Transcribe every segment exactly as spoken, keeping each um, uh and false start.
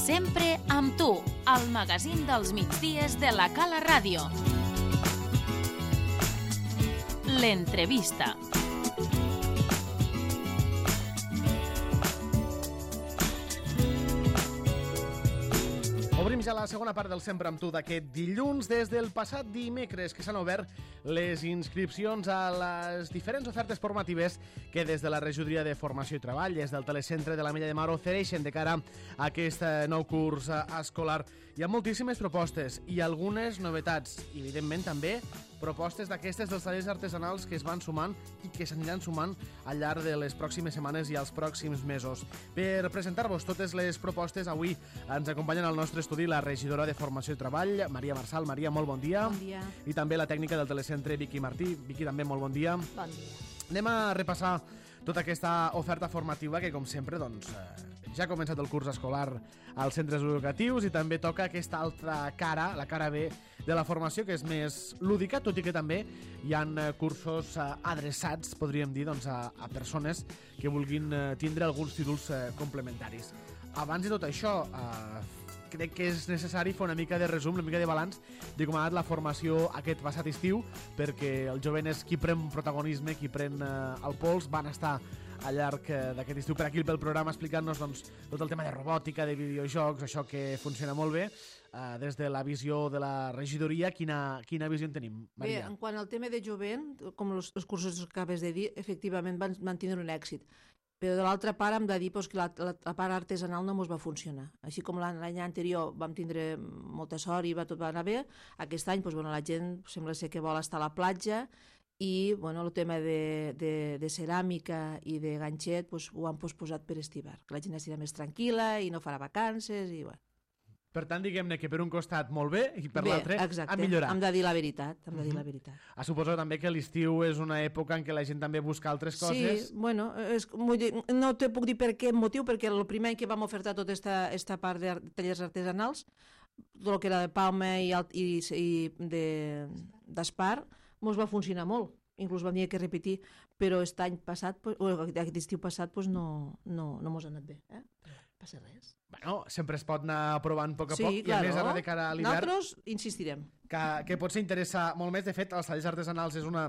Sempre amb tu, al magazín dels migdies de la Cala Ràdio. L'entrevista. Obrim ja la segona part del Sempre amb tu d'aquest dilluns. Des del passat dimecres que s'han obert les inscripcions a les diferents ofertes formatives que des de la Regidoria de Formació i Treball, des del Telecentre de la Mella de Mar, ofereixen de cara a aquest nou curs escolar. Hi ha moltíssimes propostes i algunes novetats. I, evidentment, també propostes d'aquestes dels tallers artesanals que es van sumant i que s'aniran sumant al llarg de les pròximes setmanes i els pròxims mesos. Per presentar-vos totes les propostes, avui ens acompanyen al nostre estudi la regidora de Formació i Treball, Maria Marsal. Maria, molt bon dia. Bon dia. I també la tècnica del Telecentre, Vicky Martí. Vicky, també molt bon dia. Bon dia. Anem a repassar tota aquesta oferta formativa que, com sempre, doncs, ja ha començat el curs escolar als centres educatius i també toca aquesta altra cara, la cara B de la formació, que és més lúdica, tot i que també hi ha cursos adreçats, podríem dir, doncs, a, a persones que vulguin tindre alguns títols complementaris. Abans de tot això, eh, crec que és necessari fer una mica de resum, una mica de balanç de com ha anat la formació aquest passat estiu, perquè els joves qui pren protagonisme, qui pren eh, el pols, van estar al llarg d'aquest estiu per aquí pel programa explicant-nos doncs, tot el tema de robòtica, de videojocs, això que funciona molt bé. Uh, des de la visió de la regidoria, quina, quina visió en tenim, Maria? Bé, en quant al tema de jovent, com els, els cursos que acabes de dir, efectivament van, van tindre un èxit. Però de l'altra part hem de dir pues, que la, la, la part artesanal no ens va funcionar. Així com l'any anterior vam tindre molta sort i va, tot va anar bé, aquest any pues, bueno, la gent sembla ser que vol estar a la platja i bueno, el tema de, de, de ceràmica i de ganxet pues, ho han posposat per estivar, que la gent estirà més tranquil·la i no farà vacances i bueno. Per tant, diguem-ne que per un costat molt bé i per bé, l'altre exacte. a millorar. Hem de dir la veritat. Hem de dir la veritat. Uh-huh. Suposo també que l'estiu és una època en què la gent també busca altres coses. Sí, bueno, és, no te puc dir per què motiu, perquè el primer any que vam ofertar tota esta, esta part de tallers artesanals, tot el que era de palma i, i, i d'espar, mos va funcionar molt. Inclús vam dir que repetir, però aquest any passat, o aquest estiu passat, pues no, no, no mos ha anat bé. Eh? Passa res. Bueno, sempre es pot anar provant a poc a sí, poc i claro. a més ara de cara a l'hivern... Nosaltres insistirem. Que, que potser interessa molt més. De fet, els tallers artesanals és una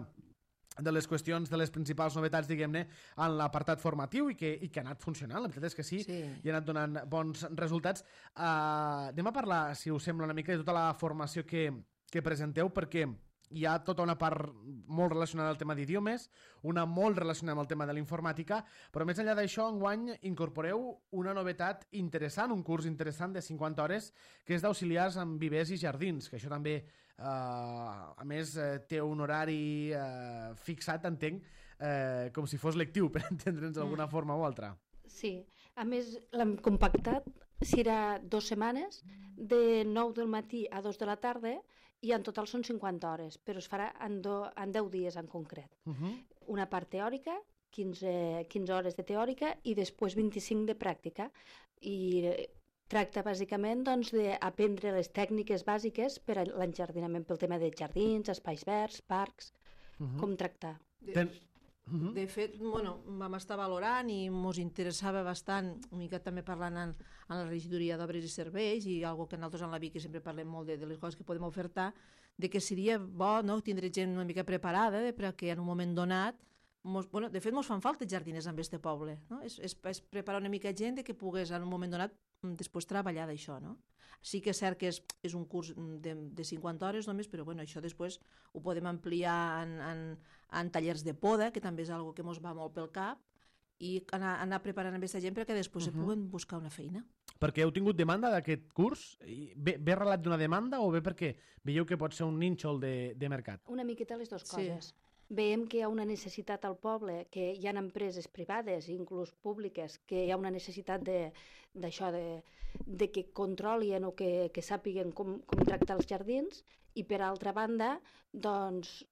de les qüestions, de les principals novetats, diguem-ne, en l'apartat formatiu i que, i que ha anat funcionant. La veritat és que sí, sí. I ha anat donant bons resultats. Uh, anem a parlar, si us sembla, una mica de tota la formació que, que presenteu, perquè hi ha tota una part molt relacionada al tema d'idiomes, una molt relacionada amb el tema de l'informàtica, però més enllà d'això, enguany incorporeu una novetat interessant, un curs interessant de cinquanta hores, que és d'auxiliars en vivers i jardins, que això també, eh, a més, eh, té un horari eh, fixat, entenc, eh, com si fos lectiu, per entendre'ns d'alguna mm. forma o altra. Sí, a més l'hem compactat, serà dues setmanes, de nou del matí a dos de la tarda, i en total són cinquanta hores, però es farà en, do, en deu dies en concret. Uh-huh. Una part teòrica, quinze, quinze hores de teòrica i després vint-i-cinc de pràctica. I tracta bàsicament doncs, d'aprendre les tècniques bàsiques per a l'enjardinament, pel tema de jardins, espais verds, parcs, uh-huh. com tractar. Ten... Uh-huh. De fet, bueno, vam estar valorant i ens interessava bastant, una mica també parlant en, en la regidoria d'obres i serveis i algo que nosaltres en la Vicky sempre parlem molt de, de les coses que podem ofertar, de que seria bo no, tindre gent una mica preparada de, perquè en un moment donat, mos, bueno, de fet ens fan falta jardiners en este poble, no? és, és, és preparar una mica gent de que pogués en un moment donat després treballar d'això, no? Sí que és cert que és, és un curs de, de cinquanta hores només, però bueno, això després ho podem ampliar en, en, en tallers de poda, que també és una que ens va molt pel cap, i anar, anar preparant amb aquesta gent perquè després uh-huh. se puguen buscar una feina. Perquè heu tingut demanda d'aquest curs? Ve, ve arrelat d'una demanda o bé perquè veieu que pot ser un nínxol de, de mercat? Una miqueta les dues sí. coses. Veiem que hi ha una necessitat al poble, que hi ha empreses privades, inclús públiques, que hi ha una necessitat d'això, de, de, de que controlien o que, que sàpiguen com, com tractar els jardins, i per altra banda, doncs,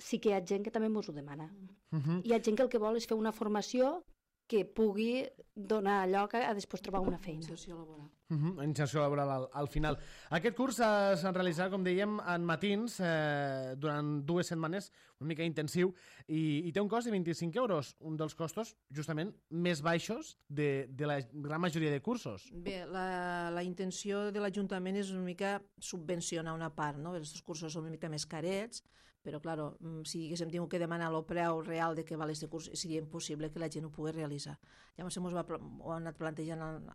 sí que hi ha gent que també ens ho demana. Uh-huh. Hi ha gent que el que vol és fer una formació que pugui donar lloc a, a després trobar una feina. Inserció laboral. Uh -huh, inserció laboral al, al final. Aquest curs eh, s'ha realitzat, com dèiem, en matins eh, durant dues setmanes, una mica intensiu, i, i té un cost de vint-i-cinc euros, un dels costos justament més baixos de, de la gran majoria de cursos. Bé, la, la intenció de l'Ajuntament és una mica subvencionar una part, no? Els cursos són una mica més carets, però, clar, si haguéssim tingut que demanar el preu real de què val aquest curs, seria impossible que la gent ho pogués realitzar. Llavors, ens va, ho han anat plantejant en,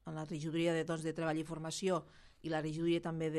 en la regidoria de, doncs, de Treball i Formació i la regidoria també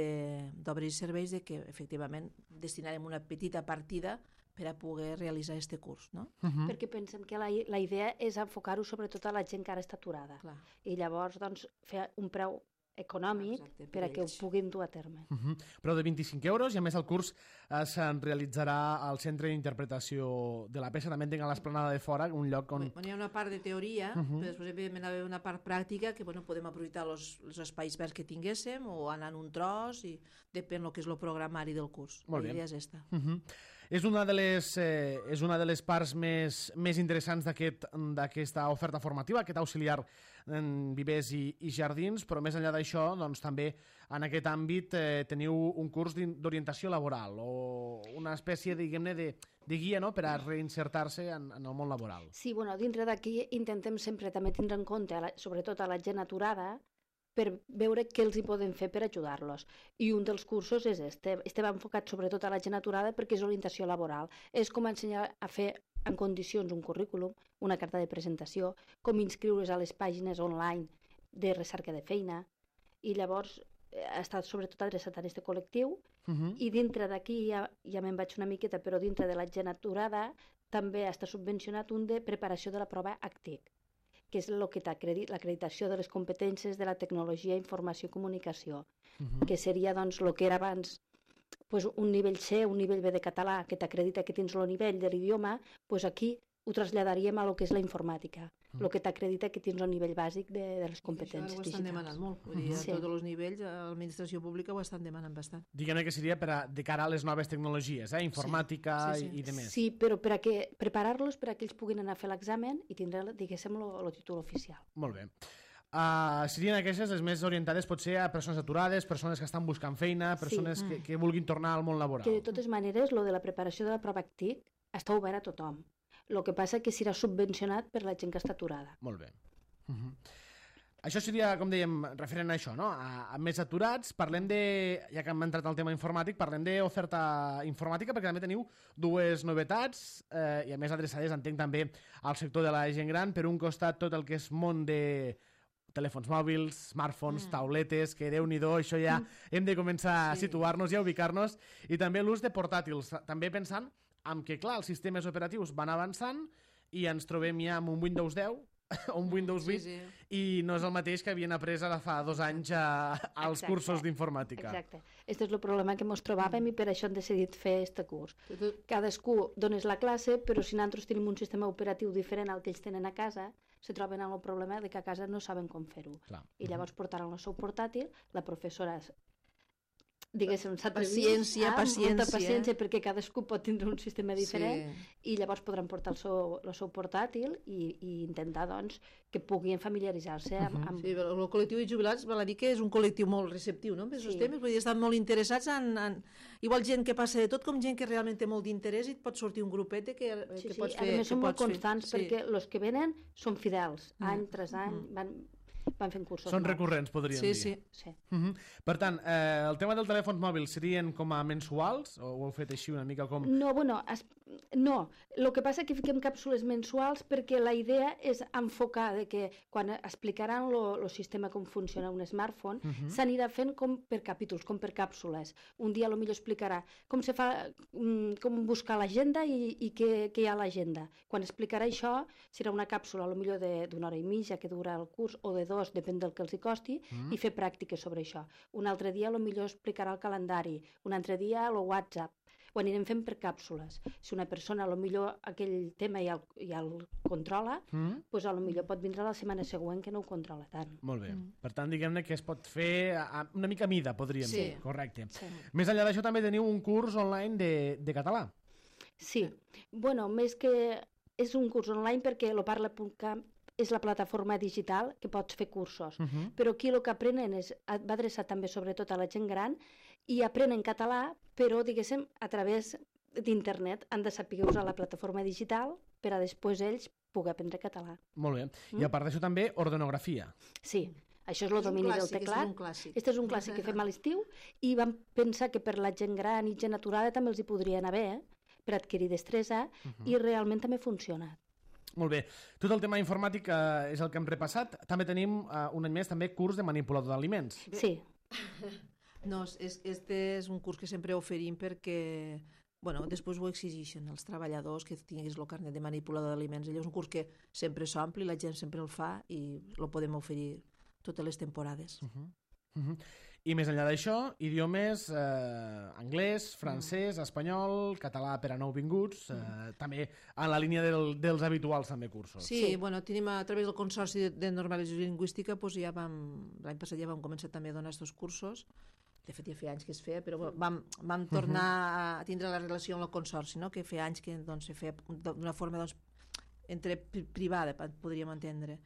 d'Obres i Serveis, de que, efectivament, destinarem una petita partida per a poder realitzar aquest curs, no? Uh -huh. Perquè pensem que la, la idea és enfocar-ho sobretot a la gent que ara està aturada. Clar. I llavors, doncs, fer un preu econòmic. Exacte, per, per a que ho puguin dur a terme. Uh -huh. Però de vint-i-cinc euros, i a més el curs eh, se'n realitzarà al Centre d'Interpretació de la Peça, també entenc a l'Esplanada de Fora, un lloc on... Bueno, hi ha una part de teoria, uh -huh. però després evidentment hi ha una part pràctica que, bueno, podem aprofitar els espais verds que tinguéssim o anar en un tros, i depèn del que és el programari del curs. Molt la bé. idea és esta. Uh -huh. És una de les, eh, és una de les parts més, més interessants d'aquesta aquest, oferta formativa, aquest auxiliar en vivers i, i jardins, però més enllà d'això, doncs, també en aquest àmbit eh, teniu un curs d'orientació laboral o una espècie, diguem-ne, de, de guia, no?, per a reinsertar-se en, en el món laboral. Sí, bueno, dintre d'aquí intentem sempre també tindre en compte, a la, sobretot a la gent aturada, per veure què els hi podem fer per ajudar-los. I un dels cursos és este. Este va enfocat sobretot a la gent aturada perquè és orientació laboral. És com ensenyar a fer en condicions un currículum, una carta de presentació, com inscriure's a les pàgines online de recerca de feina, i llavors ha estat sobretot adreçat a aquest col·lectiu, uh -huh. i dintre d'aquí ja, ja me'n vaig una miqueta, però dintre de la gent aturada també està subvencionat un de preparació de la prova A C T I C, que és el que t'acredita, l'acreditació de les competències de la tecnologia, informació i comunicació, uh -huh. que seria doncs el que era abans pues, un nivell C, un nivell B de català, que t'acredita que tens el nivell de l'idioma, pues aquí ho traslladaríem a lo que és la informàtica, el mm. que t'acredita que tens el nivell bàsic de, de les competències digitals. Això ho estan demanant molt, vull dir, a sí. tots els nivells, l'administració pública ho estan demanant bastant. Diguem-ne que seria per a, de cara a les noves tecnologies, eh? Informàtica sí. Sí, sí. i, i demés. Sí, però per a que, preparar-los per a que ells puguin anar a fer l'examen i tindre, diguéssim, el títol oficial. Molt bé. Uh, serien aquestes les més orientades potser a persones aturades, persones que estan buscant feina, persones sí. que, que vulguin tornar al món laboral. Que de totes maneres, lo de la preparació de la prova A C T I C està obert a tothom. El que passa que serà subvencionat per la gent que està aturada. Molt bé. Uh -huh. Això seria, com dèiem, referent a això, no? A, a més aturats, parlem de, ja que hem entrat al tema informàtic, parlem d'oferta informàtica, perquè també teniu dues novetats, eh, i a més adreçades, entenc, també al sector de la gent gran. Per un costat, tot el que és món de telèfons mòbils, smartphones, mm. tauletes, que Déu-n'hi-do, això ja mm. hem de començar sí. a situar-nos i a ubicar-nos, i també l'ús de portàtils, també pensant en que, clar, els sistemes operatius van avançant i ens trobem ja amb un Windows deu o un Windows vuit, sí, sí. i no és el mateix que havien après ara fa dos anys a, als Exacte. cursos d'informàtica. Exacte. Aquest és el problema que ens trobàvem mm. i per això hem decidit fer aquest curs. Cadascú dones la classe, però si nosaltres tenim un sistema operatiu diferent al que ells tenen a casa, se troben amb el problema de que a casa no saben com fer-ho. I llavors portaran el seu portàtil, la professora diguéssim, s'ha paciència, paciència. molta paciència, perquè cadascú pot tindre un sistema diferent, sí. i llavors podran portar el seu, el seu portàtil i, i intentar, doncs, que puguin familiaritzar-se amb... amb... Sí, el col·lectiu de jubilats, val a dir que és un col·lectiu molt receptiu, no?, amb aquests sí. temes, vull dir, estan molt interessats en, en... Igual gent que passa de tot, com gent que realment té molt d'interès i et pot sortir un grupet que, sí, que sí. pots fer... A més, són molt fer. constants, sí. perquè els que venen són fidels, mm. any tras any, mm. van... van fent cursos Són nous. recurrents, podríem sí, dir. Sí, sí. Uh -huh. Per tant, eh, el tema dels telèfons mòbils serien com a mensuals? O ho heu fet així una mica com... No, bueno, es... no. El que passa és que fiquem càpsules mensuals perquè la idea és enfocar de que quan explicaran el sistema com funciona un smartphone, uh -huh. s'anirà fent com per capítols, com per càpsules. Un dia potser explicarà com se fa, com buscar l'agenda i, i què, què hi ha a l'agenda. Quan explicarà això, serà una càpsula potser d'una hora i mitja que dura el curs, o de dos, depèn del que els hi costi, mm. i fer pràctiques sobre això. Un altre dia potser explicarà el calendari, un altre dia el WhatsApp. Ho anirem fent per càpsules. Si una persona potser aquell tema ja el, ja el controla, mm. doncs potser pot vindre la setmana següent que no ho controla tant. Molt bé. Mm. Per tant, diguem-ne que es pot fer a una mica a mida, podríem sí. dir. Correcte. Sí. Més enllà d'això també teniu un curs online de, de català. Sí. Bueno, més que és un curs online perquè lo parla punt cat és la plataforma digital que pots fer cursos. Uh -huh. Però aquí el que aprenen és, va adreçat també sobretot a la gent gran, i aprenen català, però, diguéssim, a través d'internet. Han de saber usar la plataforma digital per a després ells poder aprendre català. Molt bé. Mm? I a part d'això també, ordenografia. Sí, això és el domini del teclat. És un clàssic. Este és un clàssic que fem a l'estiu i vam pensar que per la gent gran i gent aturada també els hi podria anar bé, eh? Per adquirir destresa, uh -huh. i realment també funciona. Molt bé. Tot el tema informàtic eh, és el que hem repassat. També tenim eh, un any més també curs de manipulador d'aliments. Sí. No, és, este és un curs que sempre oferim perquè bueno, després ho exigeixen els treballadors que tinguis el carnet de manipulador d'aliments. Allò és un curs que sempre s'ompli, la gent sempre el fa i el podem oferir totes les temporades. Uh -huh. Uh -huh. I més enllà d'això, idiomes, eh, anglès, francès, espanyol, català per a nouvinguts, eh, també en la línia del, dels habituals també cursos. Sí, sí, bueno, tenim a través del Consorci de, de Normalització Lingüística, doncs ja vam, l'any passat ja vam començar també a donar aquests cursos. De fet, ja feia anys que es feia, però vam, vam tornar a tindre la relació amb el Consorci, no? Que feia anys que doncs, se feia d'una forma doncs, entre privada, podríem entendre.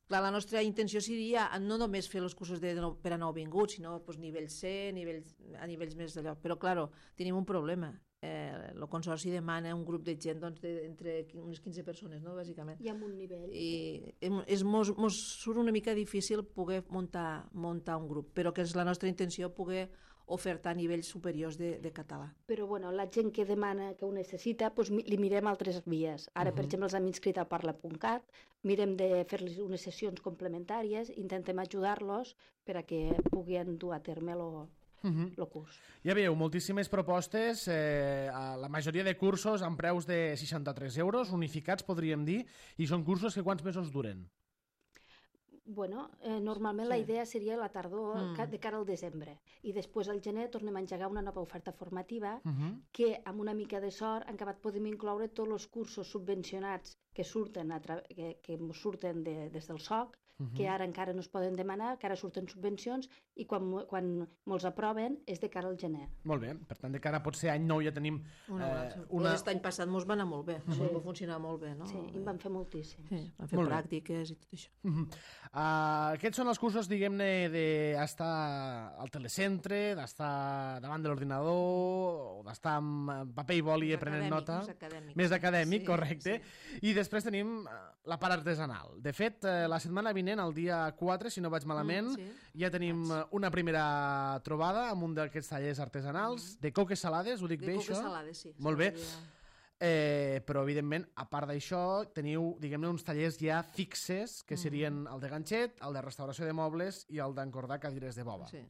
Clar, la nostra intenció seria no només fer els cursos de, de, per a nouvinguts, sinó pues, nivell C, nivells, a nivells més d'allò. Però, clar, tenim un problema. Eh, el Consorci demana un grup de gent doncs, de, entre unes quinze persones, no? Bàsicament. I amb un nivell. I és, mos, mos surt una mica difícil poder muntar, muntar un grup, però que és la nostra intenció poder ofertar nivells superiors de, de català. Però bueno, la gent que demana, que ho necessita, doncs li mirem altres vies. Ara, uh -huh. per exemple, els hem inscrit al parla punt cat, mirem de fer-los unes sessions complementàries, intentem ajudar-los per a que puguin dur a terme el uh -huh. curs. Ja veieu, moltíssimes propostes, eh, la majoria de cursos amb preus de seixanta-tres euros, unificats podríem dir, i són cursos que quants mesos duren? Bueno, eh, normalment sí. La idea seria la tardor, mm. de cara al desembre. I després al gener tornem a engegar una nova oferta formativa uh -huh. que, amb una mica de sort, en acabat podem incloure tots els cursos subvencionats que surten, a tra que, que surten de, des del S O C, uh -huh. que ara encara no es poden demanar, que ara surten subvencions, i quan, quan molts aproven és de cara al gener. Molt bé, per tant, de cara potser any nou ja tenim... Una, eh, una... Aquest any passat mos va anar molt bé, sí. va funcionar molt bé, no? Sí, i en van fer moltíssims. Sí, van fer molt pràctiques bé. I tot això. Uh -huh. uh, aquests són els cursos, diguem-ne, d'estar al telecentre, d'estar davant de l'ordinador, o d'estar amb paper i boli prenent nota. Més acadèmic. Més acadèmic, sí, correcte. Sí. I després tenim la part artesanal. De fet, la setmana vinent, el dia quatre, si no vaig malament, mm, sí. ja tenim una primera trobada amb un d'aquests tallers artesanals, mm. de coques salades, ho dic de bé, això? De coques salades, sí. Molt bé. Eh, però, evidentment, a part d'això, teniu, diguem-ne, uns tallers ja fixes, que serien el de ganxet, el de restauració de mobles i el d'encordar cadires de boba. Sí.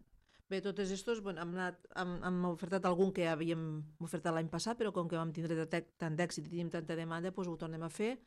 Bé, tots aquests bueno, hem, anat, hem, hem ofertat algun que havíem ofertat l'any passat, però com que vam tindre tant d'èxit i tenim tanta demanda, doncs ho tornem a fer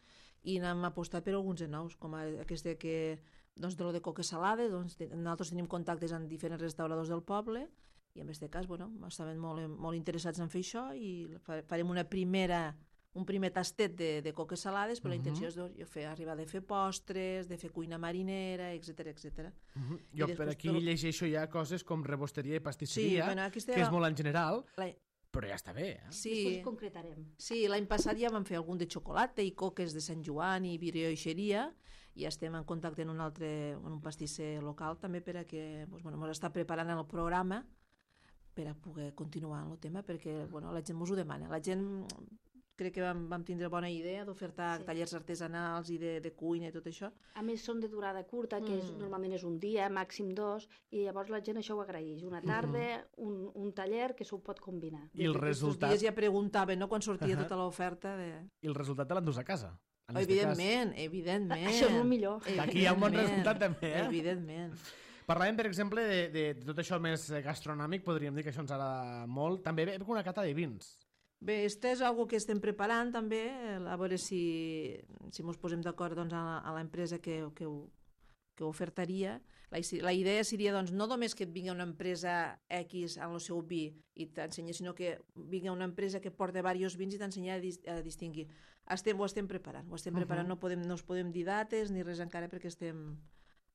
i n'hem apostat per alguns de nous, com aquest que, doncs, de lo de coques salades. Doncs, nosaltres tenim contactes amb diferents restauradors del poble i en aquest cas bueno, estaven molt, molt interessats en fer això i farem una primera, un primer tastet de, de coques salades, però uh -huh. la intenció és doncs, fer, arribar de fer postres, de fer cuina marinera, etcètera, etcètera. Uh -huh. Jo per aquí tot... llegeixo ja coses com rebosteria i pastisseria, sí, bueno, aquesta... que és molt en general, la... però ja està bé. Eh? Sí. Després concretarem. Sí, l'any passat ja vam fer algun de xocolata i coques de Sant Joan i brioixeria, i estem en contacte en un altre, en un pastisser local també per a que doncs, bueno, ens està preparant el programa per a poder continuar en el tema, perquè bueno, la gent ens ho demana. La gent, crec que vam, vam tindre bona idea d'ofertar sí. tallers artesanals i de, de cuina i tot això. A més, són de durada curta, que és, mm. normalment és un dia, màxim dos, i llavors la gent això ho agraeix. Una tarda, mm-hmm. un, un taller que s'ho pot combinar. I el resultat... Aquests dies ja preguntaven, no?, quan sortia uh -huh. tota l'oferta. De... I el resultat te l'endús a casa. Oh, evidentment, cas... evidentment. Això és el millor. Aquí hi ha un bon resultat també, eh? Evidentment. Parlàvem, per exemple, de, de, de tot això més gastronòmic, podríem dir que això ens agrada molt. També ve una cata de vins. Bé, este és una que estem preparant també, a veure si, si ens posem d'acord doncs, a l'empresa que, que, ho, que ho ofertaria. La, la idea seria doncs, no només que et vingui una empresa X amb el seu vi i t'ensenya, sinó que vingui una empresa que porta diversos vins i t'ensenya a, dis, a distingir. Estem, ho estem preparant, ho estem preparant, uh -huh. no, podem, no us podem dir dates ni res encara perquè estem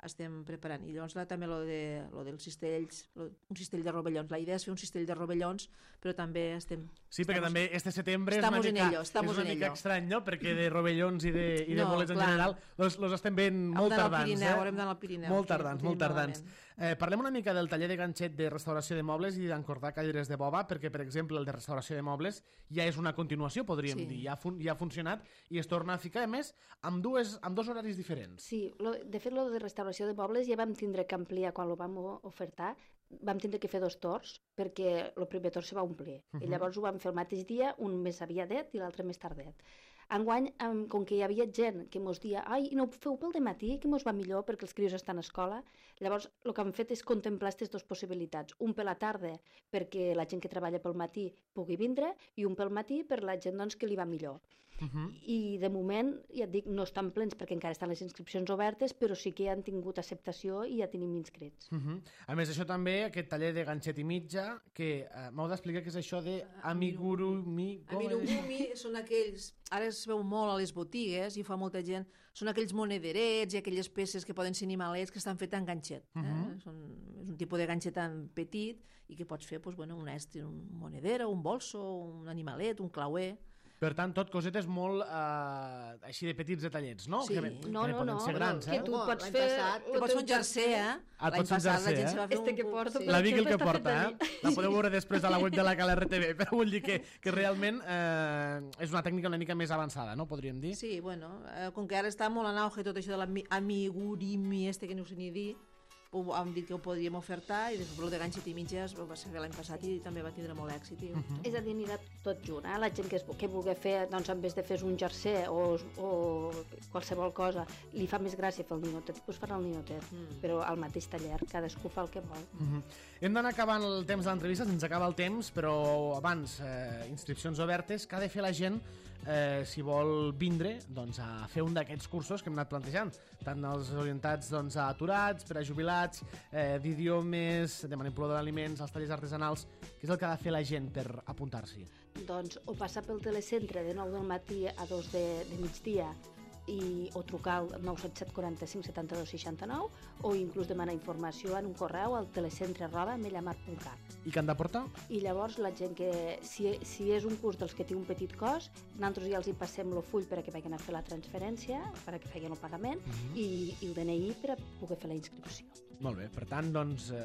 estem preparant. I llavors la, també lo, de, lo dels cistells, lo, un cistell de rovellons. La idea és fer un cistell de rovellons, però també estem... Sí, perquè estamos, també este setembre és una en mica, ello, és una en mica ello. estrany, no? Perquè de rovellons i de, i de No, bolets en clar. general los, los estem veient molt tardans. Pirineu, eh? haurem d'anar al Pirineu. Molt sí, tardans, ho molt tenim tardans. malament. Eh, parlem una mica del taller de ganxet de restauració de mobles i d'encordar cadires de boba, perquè, per exemple, el de restauració de mobles ja és una continuació, podríem Sí. dir. Ja ha, fun ja ha funcionat i es torna a ficar, a més, amb, dues, amb dos horaris diferents. Sí, lo, de fet, lo de restauració de mobles ja vam tindre que ampliar quan ho vam o- ofertar. Vam tindre que fer dos torns, perquè el primer torn se va omplir. Uh -huh. I llavors ho vam fer el mateix dia, un més aviadet i l'altre més tardet. Enguany, um, com que hi havia gent que mos dia ai, no ho feu pel dematí, que mos va millor perquè els crios estan a escola, llavors el que hem fet és contemplar aquestes dues possibilitats. Un per la tarda perquè la gent que treballa pel matí pugui vindre i un pel matí per la gent doncs, que li va millor. Uh -huh. I de moment, ja et dic, no estan plens perquè encara estan les inscripcions obertes, però sí que han tingut acceptació i ja tenim inscrits. Uh -huh. A més, això també, aquest taller de ganxet i mitja, que eh, m'heu d'explicar què és això de amigurumi... Amigurumi són aquells, ara es veu molt a les botigues i fa molta gent, són aquells monederets i aquelles peces que poden ser animalets que estan fetes en ganxet. Eh? Uh -huh. Són, és un tipus de ganxet tan petit i que pots fer pues, bueno, un estri, un monedero, un bolso, un animalet, un clauer... Per tant, tot cosetes molt eh, així de petits detallets, no? Sí. Que, que No, no, poden no, ser grans, que eh? tu Home, pots l'any fer Passat, lo te pots fer teu un jersei, eh? Ah, L'any pots fer un passat la jersei, gent eh? se va fer Este un... que porto, sí. La Vicky el que Està fet porta, de eh? La podeu veure després a la web de la Cala R T V, però vull dir que, que realment eh, és una tècnica una mica més avançada, no? Podríem dir. Sí, bueno, eh, com que ara està molt en auge tot això de l'amigurumi este que no ho sé ni dir, ho, hem dit que ho podríem ofertar i després el de ganxet i mitges va ser l'any passat i també va tindre molt èxit. I... Uh -huh. És a dir, anirà tot junt, eh? La gent que, es, que vulgui fer, doncs en vez de fer un jersei o, o qualsevol cosa, li fa més gràcia fer el ninotet, doncs farà el ninotet, mm. però al mateix taller, cadascú fa el que vol. Uh -huh. Hem d'anar acabant el temps de l'entrevista, se'ns acaba el temps, però abans, eh, inscripcions obertes, què ha de fer la gent eh, si vol vindre doncs, a fer un d'aquests cursos que hem anat plantejant, tant els orientats doncs, a aturats, per a jubilats, eh, d'idiomes, de manipulador d'aliments, els tallers artesanals, què és el que ha de fer la gent per apuntar-s'hi? Doncs o passar pel telecentre de nou del matí a dos de, de migdia i, o trucar al nou set set quaranta-cinc setanta-dos seixanta-nou o inclús demanar informació en un correu al telecentre arroba mellamar punt cat. I què han de portar? I llavors la gent que, si, si és un curs dels que té un petit cost, nosaltres ja els hi passem el full per a que vagin a fer la transferència, per a que facin el pagament, uh-huh. i, i el D N I per a poder fer la inscripció. Molt bé, per tant, doncs, eh,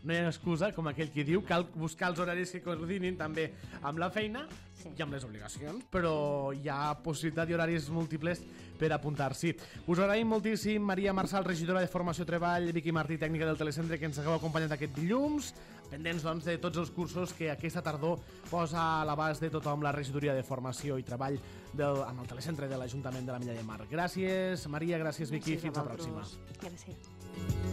no hi ha excusa, com aquell que diu, cal buscar els horaris que coordinin també amb la feina Sí. i amb les obligacions, però hi ha possibilitat i horaris múltiples per apuntar-s'hi. Us agraïm moltíssim, Maria Marçal, regidora de Formació i Treball, Vicky Martí, tècnica del Telecentre, que ens hagueu acompanyat aquest dilluns, pendents doncs, de tots els cursos que aquesta tardor posa a l'abast de tothom la regidoria de Formació i Treball del, amb el Telecentre de l'Ajuntament de la Milla de Mar. Gràcies, Maria, gràcies, Vicky, Gràcies a fins la vosaltres. pròxima. Gràcies.